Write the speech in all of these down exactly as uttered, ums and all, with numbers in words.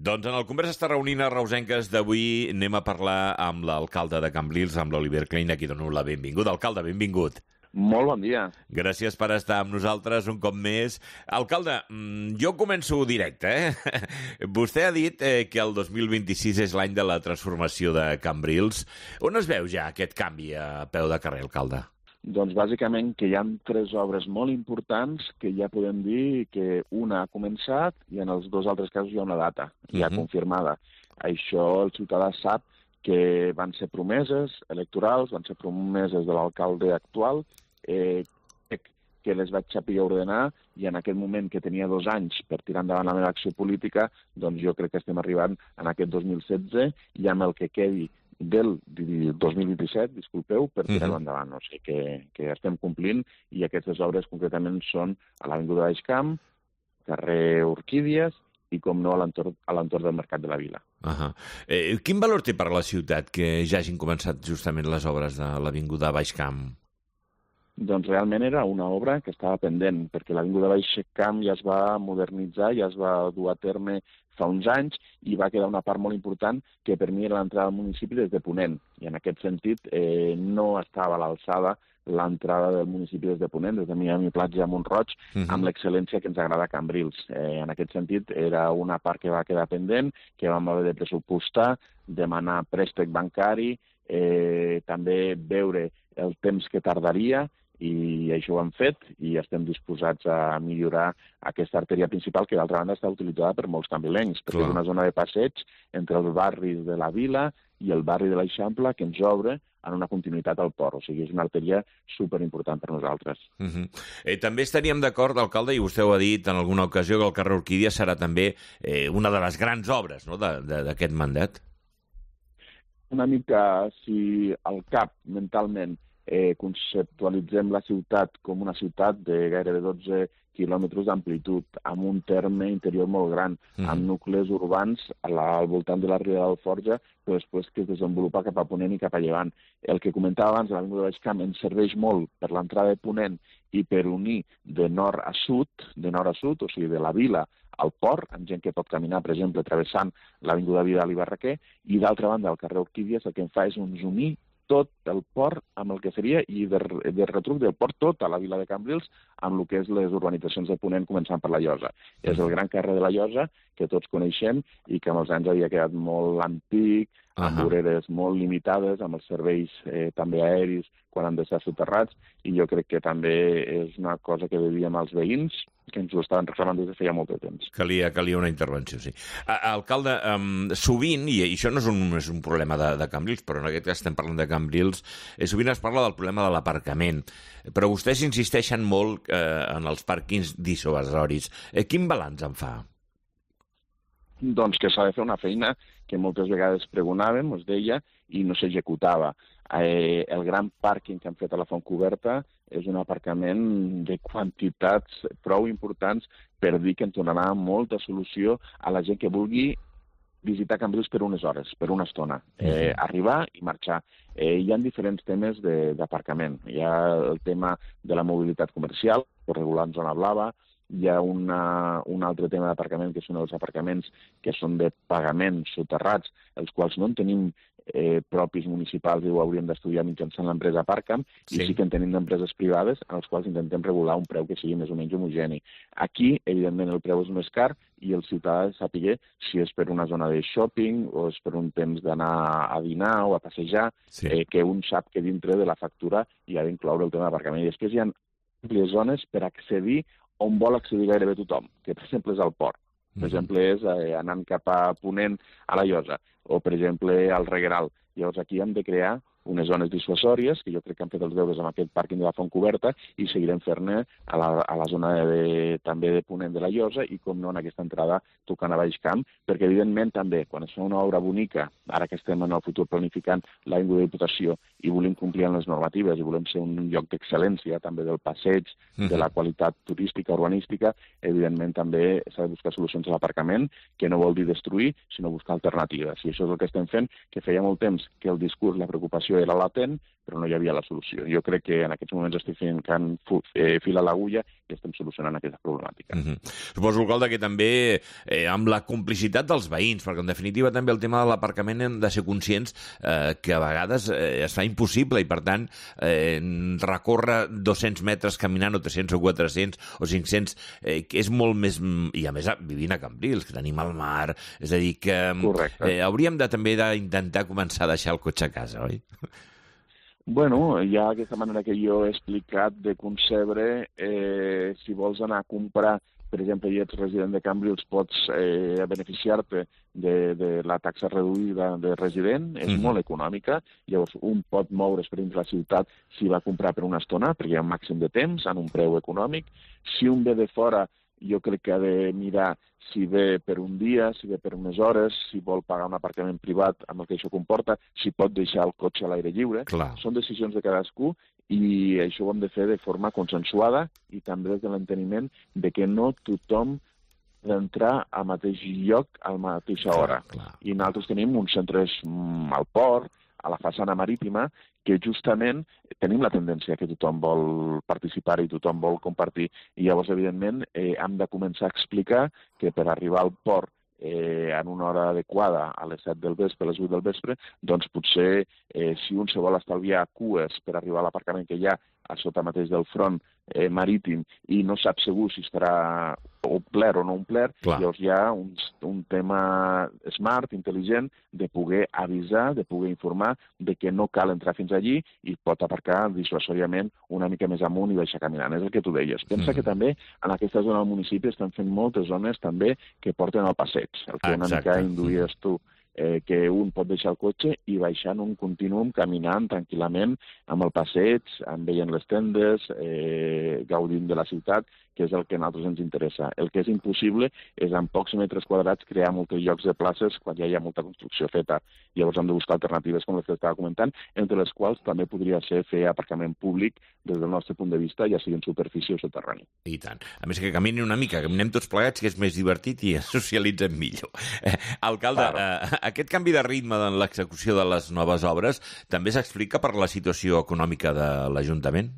Doncs en el Conversa està reunint a Reusenques d'avui anem a parlar amb l'alcalde de Cambrils, amb l'Oliver Klein, a qui dono la benvinguda. Alcalde, benvingut. Molt bon dia. Gràcies per estar amb nosaltres un cop més. Alcalde, jo començo directe, eh? Vostè ha dit eh, que el dos mil vint-i-sis és l'any de la transformació de Cambrils. On es veu ja aquest canvi a peu de carrer, alcalde? Doncs bàsicament que hi ha tres obres molt importants que ja podem dir que una ha començat i en els dos altres casos hi ha una data ja uh-huh. confirmada. Això el ciutadà sap que van ser promeses electorals, van ser promeses de l'alcalde actual, eh, que les vaig saber ordenar i en aquest moment que tenia dos anys per tirar endavant la meva acció política, doncs jo crec que estem arribant en aquest dos mil setze i amb el que quedi del dos mil vint-i-set, disculpeu, per tirar-ho endavant. O sigui que, que estem complint i aquestes obres concretament són a l'Avinguda Baix Camp, carrer Orquídies i, com no, a l'entorn del Mercat de la Vila. Uh-huh. eh, quin valor té per a la ciutat que ja hagin començat justament les obres de l'Avinguda Baix Camp? Doncs realment era una obra que estava pendent, perquè l'Avinguda Baix Camp ja es va modernitzar, ja es va dur a terme fa uns anys i va quedar una part molt important que per mi era l'entrada al municipi des de Ponent. I en aquest sentit eh, no estava a l'alçada l'entrada del municipi des de Ponent, des de Miami Platja a Mont-roig, uh-huh. amb l'excel·lència que ens agrada a Cambrils. Eh, en aquest sentit era una part que va quedar pendent, que vam haver de pressupostar, demanar préstec bancari, eh, també veure el temps que tardaria, i això ho hem fet i estem disposats a millorar aquesta artèria principal que d'altra banda està utilitzada per molts cambrilencs, perquè Clar. és una zona de passeig entre els barris de la Vila i el barri de l'Eixample que ens obre en una continuïtat al port. O sigui, és una artèria superimportant per nosaltres. Uh-huh. eh, també estaríem d'acord, alcalde, i vostè ho ha dit en alguna ocasió, que el carrer Orquídia serà també eh, una de les grans obres, no?, d'aquest mandat. Una mica, si al cap, mentalment, Eh, conceptualitzem la ciutat com una ciutat de gairebé dotze quilòmetres d'amplitud, amb un terme interior molt gran, mm. amb nuclis urbans a la, al voltant de la Riera d'Alforja, però després que es desenvolupa cap a Ponent i cap a Llevant. El que comentava abans, l'Avinguda Baix Camp, ens serveix molt per l'entrada de Ponent i per unir de nord a sud, de nord a sud, o sigui, de la Vila al port, amb gent que pot caminar, per exemple, travessant l'Avinguda Vidal i Barraquer, i d'altra banda, el carrer Orquídies el que en fa és uns unir tot el port amb el que seria, i de, de retruc del port tot a la Vila de Cambrils, amb el que és les urbanitzacions de Ponent, començant per la Llosa. És el gran carrer de la Llosa, que tots coneixem, i que amb els anys havia quedat molt antic, amb uh-huh. voreres molt limitades, amb els serveis eh, també aeris, quan han de ser soterrats, i jo crec que també és una cosa que devíem als veïns, que ens ho estaven reclamant des de feia molt de temps. Calia, calia una intervenció, sí. A, alcalde, um, sovint, i això no és un, és un problema de, de Cambrils, però en aquest cas estem parlant de Cambrils, eh, sovint es parla del problema de l'aparcament, però vostès insisteixen molt eh, en els pàrquings dissuasoris. Eh, quin balanç en fa? Doncs que s'ha de fer una feina que moltes vegades pregonàvem, us deia, i no s'executava. Eh, el gran pàrquing que han fet a la Fontcoberta és un aparcament de quantitats prou importants per dir que ens donarà molta solució a la gent que vulgui visitar Cambrils per unes hores, per una estona, eh, arribar i marxar. Eh, hi ha diferents temes d'aparcament. Hi ha el tema de la mobilitat comercial, per regular en zona blava, hi ha una, un altre tema d'aparcament, que són els aparcaments que són de pagament soterrats, els quals no en tenim eh, propis municipals i ho hauríem d'estudiar mitjançant l'empresa Parcam, sí. i sí que en tenim d'empreses privades en els quals intentem regular un preu que sigui més o menys homogeni. Aquí, evidentment, el preu és més car i el ciutadà ha de saber si és per una zona de shopping o és per un temps d'anar a dinar o a passejar, sí. eh, que un sap que dintre de la factura hi ha d'incloure el tema d'aparcament. I després hi ha àmplies zones per accedir on vol accedir gairebé tothom, que per exemple és al port. Per exemple, és eh, anant cap a Ponent a la Llosa, o per exemple al Regueral. Llavors aquí hem de crear unes zones dissuasòries, que jo crec que han fet els deures amb aquest pàrquing de la Fontcoberta, i seguirem fer-ne a, la, a la zona de, també de Ponent de la Llosa, i com no en aquesta entrada tocant a Baix Camp, perquè evidentment també, quan es fa una obra bonica, ara que estem en el futur planificant l'Avinguda Diputació, i volem complir amb les normatives, i volem ser un lloc d'excel·lència, també del passeig, uh-huh. de la qualitat turística, urbanística, evidentment també s'ha de buscar solucions a l'aparcament, que no vol dir destruir, sinó buscar alternatives. I això és el que estem fent, que feia molt temps que el discurs, la preocupació solució era latent, però no hi havia la solució. Jo crec que en aquests moments estic fent can eh, fil a l'agulla i estem solucionant aquesta problemàtica. Mm-hmm. Suposo, alcalde, que també eh, amb la complicitat dels veïns, perquè en definitiva també el tema de l'aparcament hem de ser conscients eh, que a vegades eh, es fa impossible i per tant eh, recórrer dos-cents metres caminant o tres-cents o quatre-cents o cinc-cents eh, que és molt més... I a més vivint a Cambrils, que tenim el mar, és a dir que eh, hauríem de també d'intentar començar a deixar el cotxe a casa, oi? Bueno, hi ha aquesta manera que jo he explicat de concebre, eh, si vols anar a comprar, per exemple, i ets resident de Cambrils, pots eh, beneficiar-te de, de la taxa reduïda de resident, és mm-hmm. molt econòmica, llavors un pot moure's per dins la ciutat si va comprar per una estona, perquè hi ha un màxim de temps, en un preu econòmic. Si un ve de fora, jo crec que ha de mirar si ve per un dia, si ve per unes hores, si vol pagar un aparcament privat amb el que això comporta, si pot deixar el cotxe a l'aire lliure. Clar. Són decisions de cadascú i això ho hem de fer de forma consensuada i també des de l'enteniment de que no tothom ha d'entrar al mateix lloc a la mateixa hora. Clar, clar. I nosaltres tenim uns centres mm, al port, a la façana marítima, que justament tenim la tendència que tothom vol participar i tothom vol compartir. I llavors, evidentment, eh, hem de començar a explicar que per arribar al port eh, en una hora adequada, a les set del vespre, a les vuit del vespre, doncs potser eh, si un se vol estalviar cues per arribar a l'aparcament que hi ha a sota mateix del front eh, marítim i no sap segur si estarà omplert o no omplert, llavors hi ha un, un tema smart, intel·ligent, de poder avisar, de poder informar de que no cal entrar fins allí i pot aparcar dissuasòriament una mica més amunt i baixar caminant. És el que tu deies. Pensa mm-hmm. que també en aquesta zona del municipi estan fent moltes zones també que porten al passeig, el que una mica induïes tu. Eh, que un pot deixar el cotxe i baixar en un continuum, caminant tranquil·lament amb el passeig, veient les tendes, eh, gaudint de la ciutat, que és el que a nosaltres ens interessa. El que és impossible és en pocs metres quadrats crear molts llocs de places quan ja hi ha molta construcció feta. Llavors hem de buscar alternatives com les que estava comentant, entre les quals també podria ser fer aparcament públic des del nostre punt de vista, ja sigui en superfície o soterrani. I tant. A més que caminin una mica, caminem tots plegats, que és més divertit i socialitzem millor. Eh, alcalde, eh, aquest canvi de ritme en l'execució de les noves obres també s'explica per la situació econòmica de l'Ajuntament?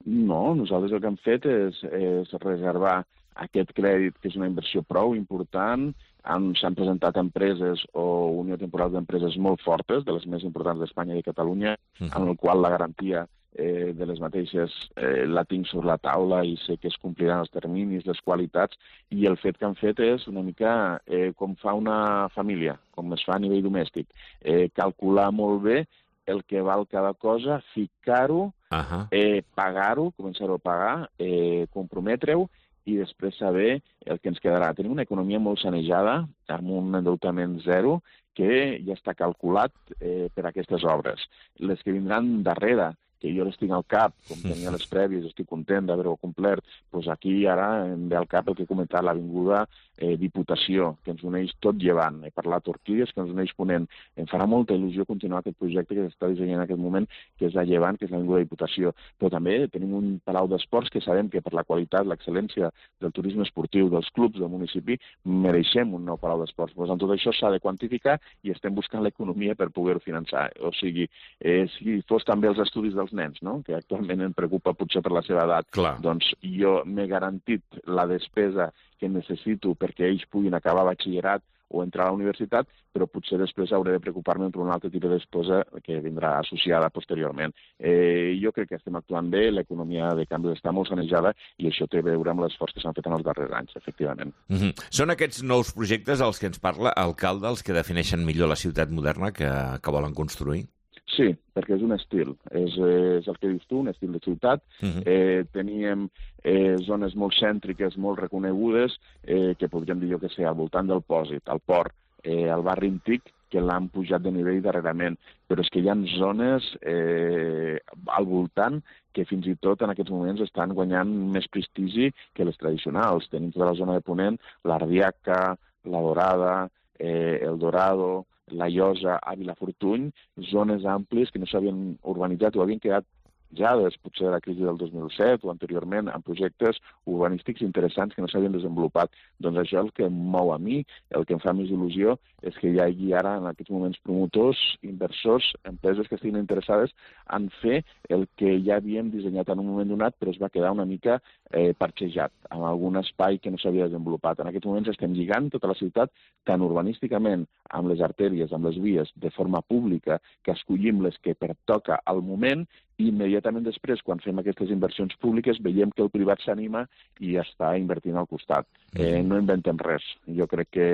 No, nosaltres el que hem fet és, és reservar aquest crèdit, que és una inversió prou important. S'han presentat empreses o unió temporal d'empreses molt fortes, de les més importants d'Espanya i de Catalunya, uh-huh. en el qual la garantia eh, de les mateixes eh, la tinc sobre la taula i sé que es compliran els terminis, les qualitats, i el fet que han fet és una mica eh, com fa una família, com es fa a nivell domèstic. Eh, calcular molt bé el que val cada cosa, ficar-ho, uh-huh. eh, pagar-ho, començar-ho a pagar, eh, comprometre-ho i després saber el que ens quedarà. Tenim una economia molt sanejada, amb un endeutament zero, que ja està calculat eh, per aquestes obres. Les que vindran darrere, que jo les tinc al cap, com tenia les prèvies, estic content d'haver-ho complert, doncs aquí ara em ve al cap el que he comentat, l'Avinguda eh, Diputació, que ens uneix tot llevant. He parlat Orquídies, que ens uneix Ponent. Em farà molta il·lusió continuar aquest projecte que s'està dissenyant en aquest moment, que és a llevant, que és l'Avinguda Diputació. Però també tenim un palau d'esports que sabem que per la qualitat, l'excel·lència del turisme esportiu, dels clubs del municipi, mereixem un nou palau d'esports. Doncs amb tot això s'ha de quantificar i estem buscant l'economia per poder-ho finançar. O sigui, eh, si fos també els estudis dels nens, no? Que actualment em preocupa potser per la seva edat, clar. Doncs jo m'he garantit la despesa que necessito perquè ells puguin acabar batxillerat o entrar a la universitat, però potser després hauré de preocupar-me per un altre tipus de despesa que vindrà associada posteriorment. Eh, jo crec que estem actuant bé, l'economia de canvi està molt sanejada i això té a veure amb l'esforç que s'han fet en els darrers anys, efectivament. Mm-hmm. Són aquests nous projectes els que ens parla, alcalde, els que defineixen millor la ciutat moderna que, que volen construir? Sí, perquè és un estil, és, és el que dius tu, un estil de ciutat. Uh-huh. eh, teníem eh, zones molt cèntriques, molt reconegudes, eh, que podríem dir jo que sé, al voltant del Pòsit, al port, eh, al barri antic, que l'han pujat de nivell darrerament, però és que hi ha zones eh, al voltant que fins i tot en aquests moments estan guanyant més prestigi que les tradicionals. Tenim tota la zona de Ponent, l'Ardiaca, la Dorada, eh, el Dorado, la Llosa, a Vilafortuny, zones àmplies que no s'havien urbanitzat o havien quedat penjades, potser de la crisi del dos mil set o anteriorment, en projectes urbanístics interessants que no s'havien desenvolupat. Doncs això és el que em mou a mi, el que em fa més il·lusió és que hi hagi ara en aquests moments promotors, inversors, empreses que estiguin interessades en fer el que ja havíem dissenyat en un moment donat, però es va quedar una mica eh, parxejat, amb algun espai que no s'havia desenvolupat. En aquests moments estem lligant tota la ciutat, tant urbanísticament, amb les artèries, amb les vies, de forma pública, que escollim les que pertoca al moment, i immediatament després, quan fem aquestes inversions públiques, veiem que el privat s'anima i està invertint al costat. Eh, no inventem res. Jo crec que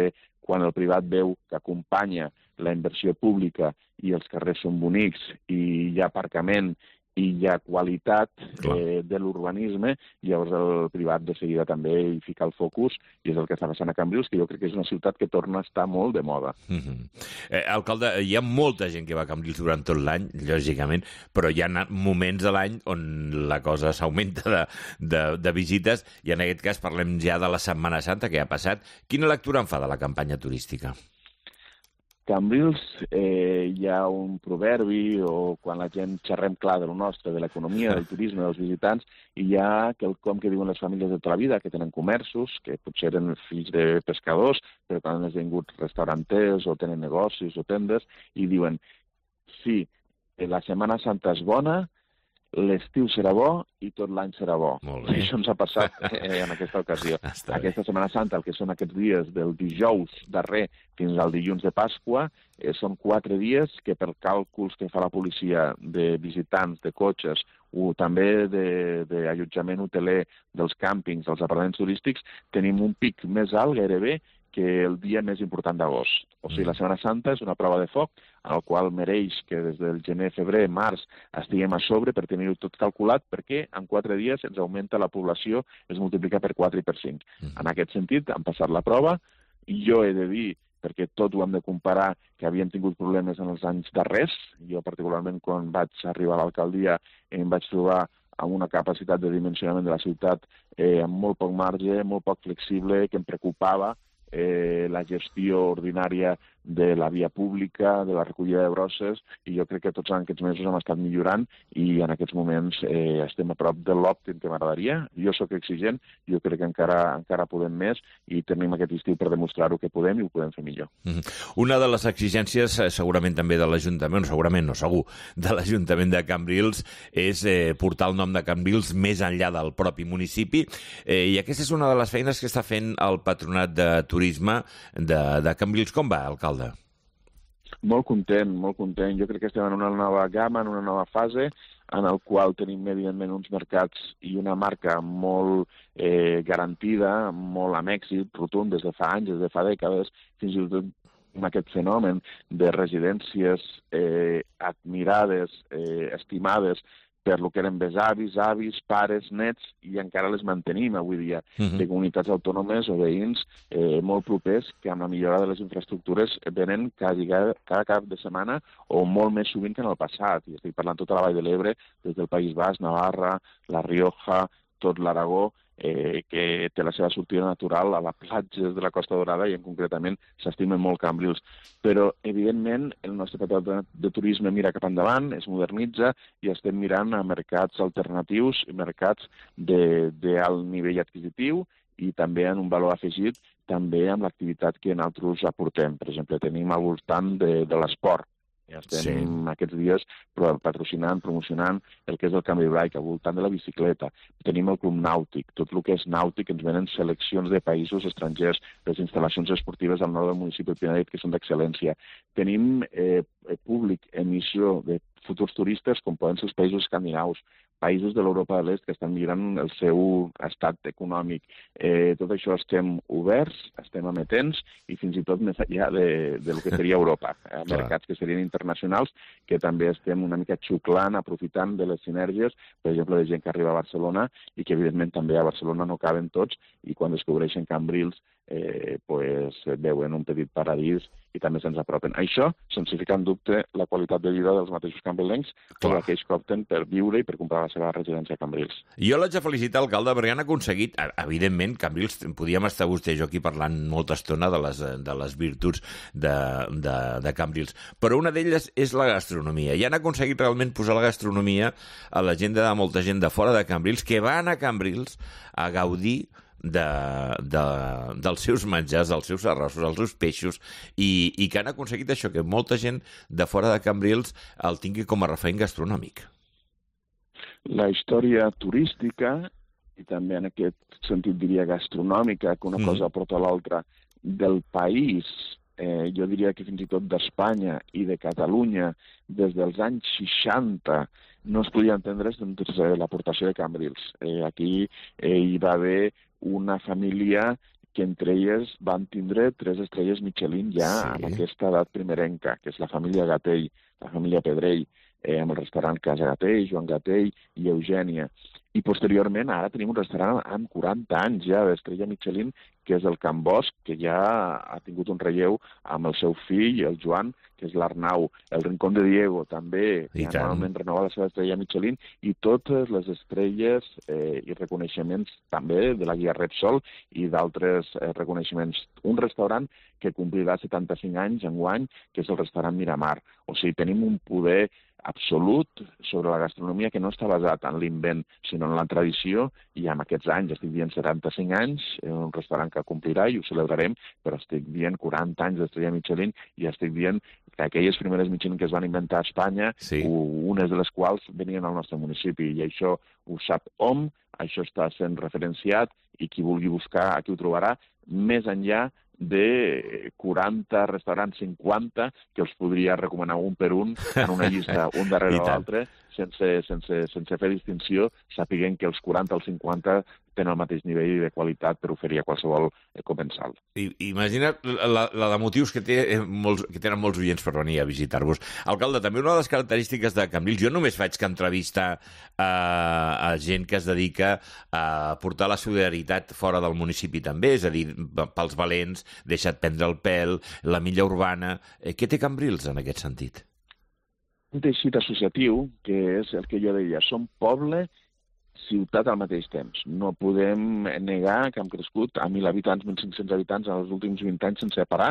quan el privat veu que acompanya la inversió pública i els carrers són bonics i hi ha aparcament i hi ha qualitat eh, de l'urbanisme, llavors el privat de seguida també hi fica el focus, i és el que està passant a Cambrils, que jo crec que és una ciutat que torna a estar molt de moda. Mm-hmm. eh, alcalde, hi ha molta gent que va a Cambrils durant tot l'any, lògicament, però hi ha moments de l'any on la cosa s'augmenta de, de, de visites, i en aquest cas parlem ja de la Setmana Santa que ha passat. Quina lectura en fa de la campanya turística? Cambrils, eh, hi ha un proverbi, o quan la gent xerrem clar de lo nostre, de l'economia, del turisme, dels visitants, i hi ha quelcom que diuen les famílies de tota la vida, que tenen comerços, que potser eren fills de pescadors, però que han esdevingut restauranters, o tenen negocis o tendes, i diuen, sí, la Setmana Santa és bona, l'estiu serà bo i tot l'any serà bo. I això ens ha passat eh, en aquesta ocasió. Aquesta Setmana Santa, el que són aquests dies del dijous darrer fins al dilluns de Pasqua, eh, són quatre dies que per càlculs que fa la policia de visitants, de cotxes, o també d'allotjament hoteler dels càmpings, dels apartaments turístics, tenim un pic més alt gairebé que el dia més important d'agost. O sigui, la Setmana Santa és una prova de foc en el qual mereix que des del gener, febrer, març estiguem a sobre per tenir-ho tot calculat, perquè en quatre dies ens augmenta la població, es multiplica per quatre i per cinc. En aquest sentit, han passat la prova, i jo he de dir, perquè tot ho hem de comparar, que havíem tingut problemes en els anys darrers. Jo, particularment, quan vaig arribar a l'alcaldia, em vaig trobar amb una capacitat de dimensionament de la ciutat eh, amb molt poc marge, molt poc flexible, que em preocupava eh, la gestió ordinària de la via pública, de la recollida de brosses, i jo crec que tots aquests mesos hem estat millorant i en aquests moments eh, estem a prop de l'òptim que m'agradaria. Jo sóc exigent, jo crec que encara encara podem més i tenim aquest estiu per demostrar-ho que podem i ho podem fer millor. Mm-hmm. Una de les exigències, segurament també de l'Ajuntament, segurament no, segur, de l'Ajuntament de Cambrils, és eh, portar el nom de Cambrils més enllà del propi municipi, eh, i aquesta és una de les feines que està fent el Patronat de Turisme de, de Cambrils. Com va, alcalde? Molt content, molt content. Jo crec que estem en una nova gamma, en una nova fase, en el qual tenim, evidentment, uns mercats i una marca molt eh, garantida, molt amb èxit, rotund, des de fa anys, des de fa dècades, fins i tot amb aquest fenomen de residències eh, admirades, eh, estimades, per lo que eren besavis, avis, pares, nets, i encara les mantenim avui dia, uh-huh. de comunitats autònomes o veïns eh, molt propers que amb la millora de les infraestructures venen quasi cada, cada cap de setmana o molt més sovint que en el passat. I estic parlant tota la Vall de l'Ebre, des del País Basc, Navarra, La Rioja, tot l'Aragó, eh, que té la seva sortida natural a les platges de la Costa Dorada i en concretament s'estimen molt Cambrils. Però, evidentment, el nostre patronat de turisme mira cap endavant, es modernitza i estem mirant a mercats alternatius, mercats d'alt nivell adquisitiu i també en un valor afegit, també amb l'activitat que nosaltres aportem. Per exemple, tenim al voltant de, de l'esport. Ja estem sí. aquests dies patrocinant, promocionant el que és el canvi bike al voltant de la bicicleta. Tenim el Club Nàutic, tot el que és nàutic, ens venen seleccions de països estrangers, les instal·lacions esportives al nord del municipi de Pinadet, que són d'excel·lència. Tenim eh, públic, emissió de futurs turistes, com poden ser els països escandinaus, països de l'Europa de l'Est que estan millorant el seu estat econòmic. Eh, tot això estem oberts, estem emetents i fins i tot més enllà de, de lo que seria Europa. Eh, mercats que serien internacionals, que també estem una mica xuclant, aprofitant de les sinergies, per exemple, de gent que arriba a Barcelona i que, evidentment, també a Barcelona no caben tots i quan descobreixen Cambrils eh, pues, veuen un petit paradís i també se'ns apropen. Això sense ficar en dubte la qualitat de vida dels mateixos cambrilencs o aquells que opten per viure i per comprar la seva residència a Cambrils. Jo l'haig de felicitar, alcalde, perquè han aconseguit, evidentment, Cambrils, podíem estar vostè i jo aquí parlant molta estona de les, de les virtuts de, de, de Cambrils, però una d'elles és la gastronomia, i han aconseguit realment posar la gastronomia a l'agenda de molta gent de fora de Cambrils que van a Cambrils a gaudir De, de, dels seus menjars, dels seus arrossos, dels seus peixos, i, i que han aconseguit això, que molta gent de fora de Cambrils el tingui com a referent gastronòmic. La història turística, i també en aquest sentit diria gastronòmica, que una mm. cosa porta a l'altra, del país, eh, jo diria que fins i tot d'Espanya i de Catalunya, des dels anys seixanta, no es podia entendre sense l'aportació de Cambrils. Eh, aquí eh, hi va haver una família que entre elles van tindre tres estrelles Michelin ja sí. amb aquesta edat primerenca, que és la família Gatell, la família Pedrell, eh, amb el restaurant Casa Gatell, Joan Gatell i Eugènia. I posteriorment ara tenim un restaurant amb quaranta anys ja d'estrella Michelin, que és el Can Bosch, que ja ha tingut un relleu amb el seu fill, el Joan, que és l'Arnau. El Rincón de Diego també, que anualment renova la seva estrella Michelin, i totes les estrelles eh, i reconeixements també de la guia Repsol i d'altres eh, reconeixements. Un restaurant que complirà setanta-cinc anys enguany, que és el restaurant Miramar. O sigui, tenim un poder absolut sobre la gastronomia que no està basat en l'invent, sinó en la tradició, i amb aquests anys, estic dient setanta-cinc anys, és un restaurant que complirà i ho celebrarem, però estic dient quaranta anys d'estrella Michelin i estic dient que aquelles primeres Michelin que es van inventar a Espanya, sí. unes de les quals venien al nostre municipi, i això ho sap hom, això està sent referenciat, i qui vulgui buscar aquí ho trobarà, més enllà de quaranta restaurants, cinquanta, que els podria recomanar un per un en una llista, un darrere l'altre, sense, sense, sense fer distinció, sapiguent que els quaranta o els cinquanta tenen el mateix nivell de qualitat per oferir a qualsevol comensal. I, imagina't la, la de motius que, té, eh, molts, que tenen molts oients per venir a visitar-vos. Alcalde, també una de les característiques de Cambrils, jo només faig que entrevistar a, a gent que es dedica a portar la solidaritat fora del municipi també, és a dir, pels valents, deixa't prendre el pèl, la milla urbana. Eh, què té Cambrils en aquest sentit? Un teixit associatiu, que és el que jo deia, som poble ciutat al mateix temps. No podem negar que hem crescut a mil habitants, mil cinc-cents habitants en els últims vint anys sense parar,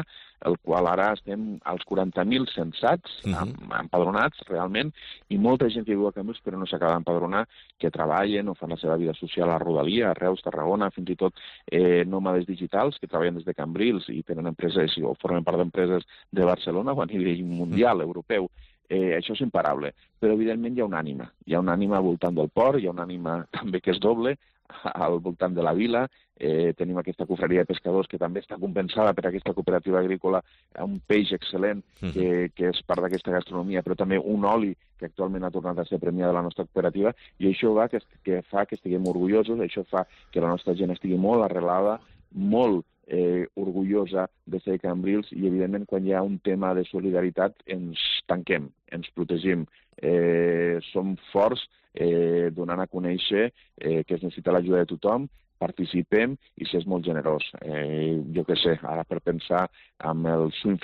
el qual ara estem als quaranta mil censats, uh -huh. empadronats realment, i molta gent que viu a Cambrils però no s'acaba d'empadronar, que treballen o fan la seva vida social a Rodalia, a Reus, Tarragona, fins i tot eh, nòmades digitals que treballen des de Cambrils i tenen empreses o formen part d'empreses de Barcelona o a nivell mundial, uh -huh. europeu. Eh, això és imparable, però evidentment hi ha una ànima. Hi ha una ànima al voltant del port, hi ha una ànima també que és doble al voltant de la vila. Eh, tenim aquesta cofreria de pescadors que també està compensada per aquesta cooperativa agrícola, un peix excel·lent que, que és part d'aquesta gastronomia, però també un oli que actualment ha tornat a ser premià de la nostra cooperativa, i això va que, que fa que estiguem orgullosos, això fa que la nostra gent estigui molt arrelada, molt Eh, orgullosa de ser Cambrils, i evidentment quan hi ha un tema de solidaritat ens tanquem, ens protegim, eh, som forts eh, donant a conèixer eh, que es necessita l'ajuda de tothom, participem i s'és molt generós. Eh, jo què sé, ara per pensar amb el Swim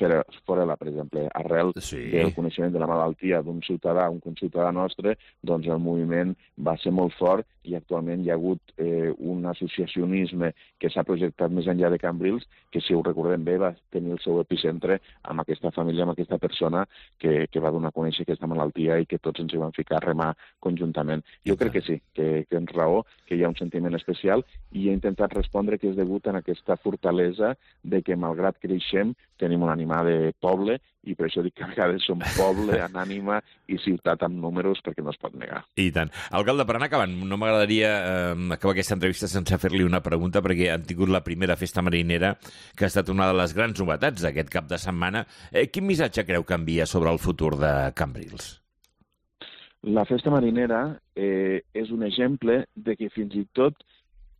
Forela, per exemple, arrel sí. del coneixement de la malaltia d'un ciutadà, un conciutadà nostre, doncs el moviment va ser molt fort i actualment hi ha hagut eh, un associacionisme que s'ha projectat més enllà de Cambrils, que si ho recordem bé va tenir el seu epicentre amb aquesta família, amb aquesta persona que, que va donar a conèixer aquesta malaltia i que tots ens hi vam ficar a remar conjuntament. Jo crec que sí, que, que ens raó, que hi ha un sentiment especial, i he intentat respondre que és degut a aquesta fortalesa de que, malgrat que creixem, tenim una ànima de poble, i per això dic que a vegades som poble en ànima i ciutat amb números, perquè no es pot negar. I tant. Alcalde, per anar acabant, no m'agradaria eh, acabar aquesta entrevista sense fer-li una pregunta, perquè han tingut la primera festa marinera, que ha estat una de les grans novetats d'aquest cap de setmana. Eh, quin missatge creu que envia sobre el futur de Cambrils? La festa marinera eh, és un exemple de que fins i tot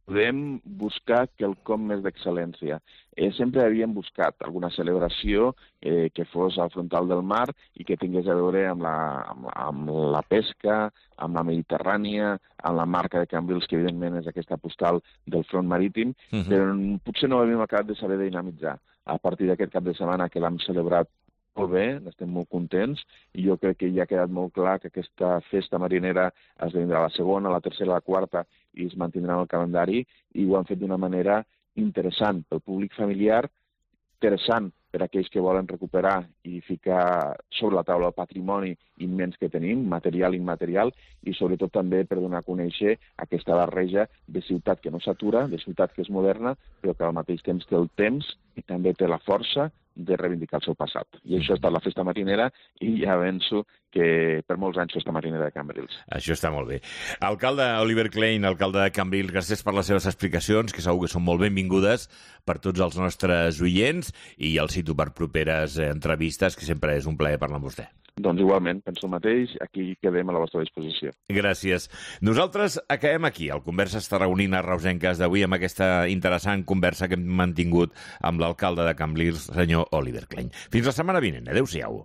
podem buscar quelcom més d'excel·lència. Eh, sempre havíem buscat alguna celebració eh, que fos al frontal del mar i que tingués a veure amb la, amb, amb la pesca, amb la Mediterrània, amb la marca de Cambrils, que evidentment és aquesta postal del front marítim, uh-huh. però potser no havíem acabat de saber dinamitzar. A partir d'aquest cap de setmana que l'hem celebrat molt bé, estem molt contents, i jo crec que ja ha quedat molt clar que aquesta festa marinera esdevindrà la segona, la tercera, la quarta, i es mantindrà en el calendari, i ho han fet d'una manera interessant pel públic familiar, interessant per a aquells que volen recuperar i ficar sobre la taula el patrimoni immens que tenim, material i immaterial, i sobretot també per donar a conèixer aquesta barreja de ciutat que no s'atura, de ciutat que és moderna, però que al mateix temps té el temps i també té la força de reivindicar el seu passat. I això ha estat la festa marinera, i ja avanço que per molts anys festa marinera de Cambrils. Això està molt bé. Alcalde Oliver Klein, alcalde de Cambrils, gràcies per les seves explicacions, que segur que són molt benvingudes per tots els nostres oients, i el cito per properes entrevistes, que sempre és un plaer parlar amb vostè. Doncs igualment, penso el mateix, aquí quedem a la vostra disposició. Gràcies. Nosaltres acabem aquí, el Converses Tarragonines Reusenques d'avui, amb aquesta interessant conversa que hem mantingut amb l'alcalde de Cambrils, senyor Oliver Klein. Fins la setmana vinent. Adéu-siau.